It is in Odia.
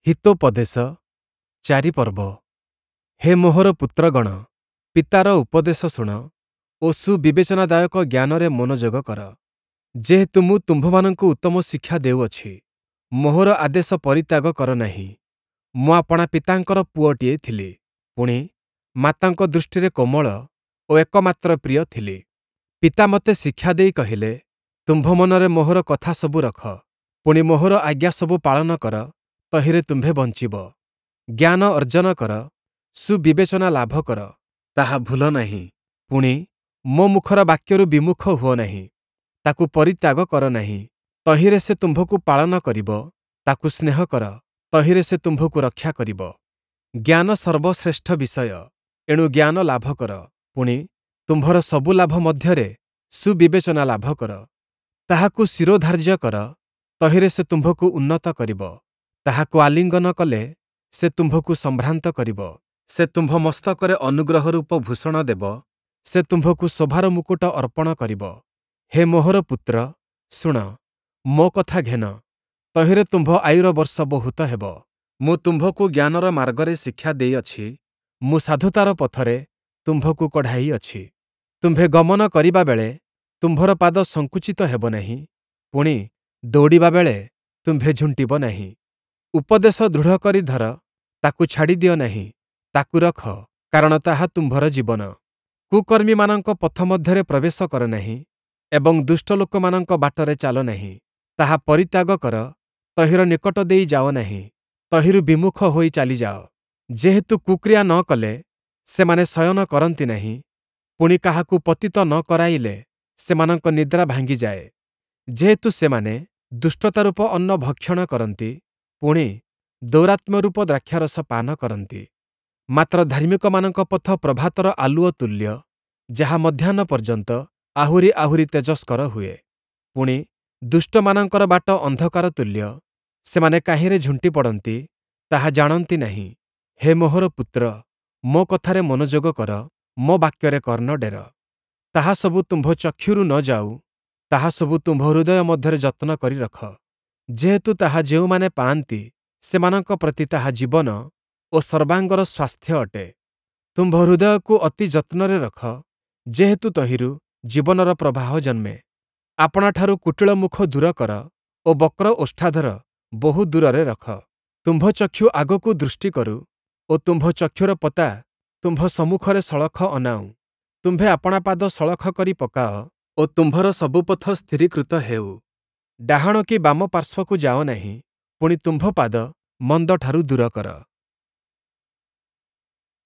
ହିତୋପଦେଶ 4 ପର୍ବ। ହେ ମୋହର ପୁତ୍ରଗଣ, ପିତାର ଉପଦେଶ ଶୁଣ ଓ ସୁବିବେଚନାଦାୟକ ଜ୍ଞାନରେ ମନୋଯୋଗ କର। ଯେହେତୁ ମୁଁ ତୁମ୍ଭମାନଙ୍କୁ ଉତ୍ତମ ଶିକ୍ଷା ଦେଉଅଛି, ମୋହର ଆଦେଶ ପରିତ୍ୟାଗ କର ନାହିଁ। ମୁଁ ଆପଣା ପିତାଙ୍କର ପୁଅଟିଏ ଥିଲି, ପୁଣି, ମାତାଙ୍କ ଦୃଷ୍ଟିରେ କୋମଳ ଓ ଏକମାତ୍ର ପ୍ରିୟ ଥିଲି। ପିତା ମୋତେ ଶିକ୍ଷା ଦେଇ କହିଲେ, ତୁମ୍ଭ ମନରେ ମୋହର କଥାସବୁ ରଖ, ପୁଣି ମୋହର ଆଜ୍ଞାସବୁ ପାଳନ କର, ତହିଁରେ ତୁମ୍ଭେ ବଞ୍ଚିବ। ଜ୍ଞାନ ଅର୍ଜନ କର, ସୁବିବେଚନା ଲାଭ କର, ତାହା ଭୁଲ ନାହିଁ। ପୁଣି, ମୋ ମୁଖର ବାକ୍ୟରୁ ବିମୁଖ ହୁଅ ନାହିଁ, ତାକୁ ପରିତ୍ୟାଗ କର ନାହିଁ। ତହିଁରେ ସେ ତୁମ୍ଭକୁ ପାଳନ କରିବ, ତାକୁ ସ୍ନେହ କର, ତହିଁରେ ସେ ତୁମ୍ଭକୁ ରକ୍ଷା କରିବ। ଜ୍ଞାନ ସର୍ବଶ୍ରେଷ୍ଠ ବିଷୟ, ଏଣୁ ଜ୍ଞାନ ଲାଭ କର, ପୁଣି, ତୁମ୍ଭର ସବୁ ଲାଭ ମଧ୍ୟରେ ସୁବିବେଚନା ଲାଭ କର। ତାହାକୁ ଶିରୋଧାର୍ଯ୍ୟ କର, ତହିଁରେ ସେ ତୁମ୍ଭକୁ ଉନ୍ନତ କରିବ। ତାହାକୁ ଆଲିଙ୍ଗନ କଲେ ସେ ତୁମ୍ଭକୁ ସମ୍ଭ୍ରାନ୍ତ କରିବ। ସେ ତୁମ୍ଭ ମସ୍ତକରେ ଅନୁଗ୍ରହ ରୂପ ଭୂଷଣ ଦେବ, ସେ ତୁମ୍ଭକୁ ଶୋଭାର ମୁକୁଟ ଅର୍ପଣ କରିବ। ହେ ମୋହର ପୁତ୍ର, ଶୁଣ, ମୋ କଥା ଘେନ, ତହିଁରେ ତୁମ୍ଭ ଆୟୁର ବର୍ଷ ବହୁତ ହେବ। ମୁଁ ତୁମ୍ଭକୁ ଜ୍ଞାନର ମାର୍ଗରେ ଶିକ୍ଷା ଦେଇଅଛି, ମୁଁ ସାଧୁତାର ପଥରେ ତୁମ୍ଭକୁ କଢ଼ାଇଅଛି। ତୁମ୍ଭେ ଗମନ କରିବା ବେଳେ ତୁମ୍ଭର ପାଦ ସଙ୍କୁଚିତ ହେବ ନାହିଁ, ପୁଣି, ଦୌଡ଼ିବା ବେଳେ ତୁମ୍ଭେ ଝୁଣ୍ଟିବ ନାହିଁ। ଉପଦେଶ ଦୃଢ଼ କରି ଧର, ତାକୁ ଛାଡ଼ିଦିଅ ନାହିଁ, ତାକୁ ରଖ, କାରଣ ତାହା ତୁମ୍ଭର ଜୀବନ। କୁକର୍ମୀମାନଙ୍କ ପଥ ମଧ୍ୟରେ ପ୍ରବେଶ କର ନାହିଁ ଏବଂ ଦୁଷ୍ଟ ଲୋକମାନଙ୍କ ବାଟରେ ଚାଲ ନାହିଁ। ତାହା ପରିତ୍ୟାଗ କର, ତହିଁର ନିକଟ ଦେଇ ଯାଅ ନାହିଁ, ତହିଁରୁ ବିମୁଖ ହୋଇ ଚାଲିଯାଅ। ଯେହେତୁ କୁକ୍ରିୟା ନ କଲେ ସେମାନେ ଶୟନ କରନ୍ତି ନାହିଁ, ପୁଣି କାହାକୁ ପତିତ ନ କରାଇଲେ ସେମାନଙ୍କ ନିଦ୍ରା ଭାଙ୍ଗିଯାଏ। ଯେହେତୁ ସେମାନେ ଦୁଷ୍ଟତାରୂପ ଅନ୍ନ ଭକ୍ଷଣ କରନ୍ତି, ପୁଣି, ଦୌରାତ୍ମ୍ୟରୂପ ଦ୍ରାକ୍ଷାରସ ପାନ କରନ୍ତି। ମାତ୍ର ଧାର୍ମିକମାନଙ୍କ ପଥ ପ୍ରଭାତର ଆଲୁଅ ତୁଲ୍ୟ, ଯାହା ମଧ୍ୟାହ୍ନ ପର୍ଯ୍ୟନ୍ତ ଆହୁରି ଆହୁରି ତେଜସ୍କର ହୁଏ। ପୁଣି, ଦୁଷ୍ଟମାନଙ୍କର ବାଟ ଅନ୍ଧକାର ତୁଲ୍ୟ, ସେମାନେ କାହିଁରେ ଝୁଣ୍ଟି ପଡ଼ନ୍ତି, ତାହା ଜାଣନ୍ତି ନାହିଁ। ହେ ମୋହର ପୁତ୍ର, ମୋ କଥାରେ ମନୋଯୋଗ କର, ମୋ ବାକ୍ୟରେ କର୍ଣ୍ଣ ଡେର। ତାହା ସବୁ ତୁମ୍ଭ ଚକ୍ଷୁରୁ ନ ଯାଉ, ତାହା ସବୁ ତୁମ୍ଭ ହୃଦୟ ମଧ୍ୟରେ ଯତ୍ନ କରି ରଖ। ଯେହେତୁ ତାହା ଯେଉଁମାନେ ପାଆନ୍ତି, ସେମାନଙ୍କ ପ୍ରତି ତାହା ଜୀବନ ଓ ସର୍ବାଙ୍ଗର ସ୍ୱାସ୍ଥ୍ୟ ଅଟେ। ତୁମ୍ଭ ହୃଦୟକୁ ଅତି ଯତ୍ନରେ ରଖ, ଯେହେତୁ ତହିଁରୁ ଜୀବନର ପ୍ରବାହ ଜନ୍ମେ। ଆପଣାଠାରୁ କୁଟିଳ ମୁଖ ଦୂର କର ଓ ବକ୍ର ଓଷ୍ଠାଧର ବହୁ ଦୂରରେ ରଖ। ତୁମ୍ଭ ଚକ୍ଷୁ ଆଗକୁ ଦୃଷ୍ଟି କରୁ ଓ ତୁମ୍ଭ ଚକ୍ଷୁର ପତା ତୁମ୍ଭ ସମ୍ମୁଖରେ ସଳଖ ଅନାଉ। ତୁମ୍ଭେ ଆପଣା ପାଦ ସଳଖ କରି ପକାଅ ଓ ତୁମ୍ଭର ସବୁ ପଥ ସ୍ଥିରୀକୃତ ହେଉ। ଡାହାଣ କି ବାମ ପାର୍ଶ୍ୱକୁ ଯାଅ ନାହିଁ, ପୁଣି ତୁମ୍ଭ ପାଦ ମନ୍ଦଠାରୁ ଦୂର କର।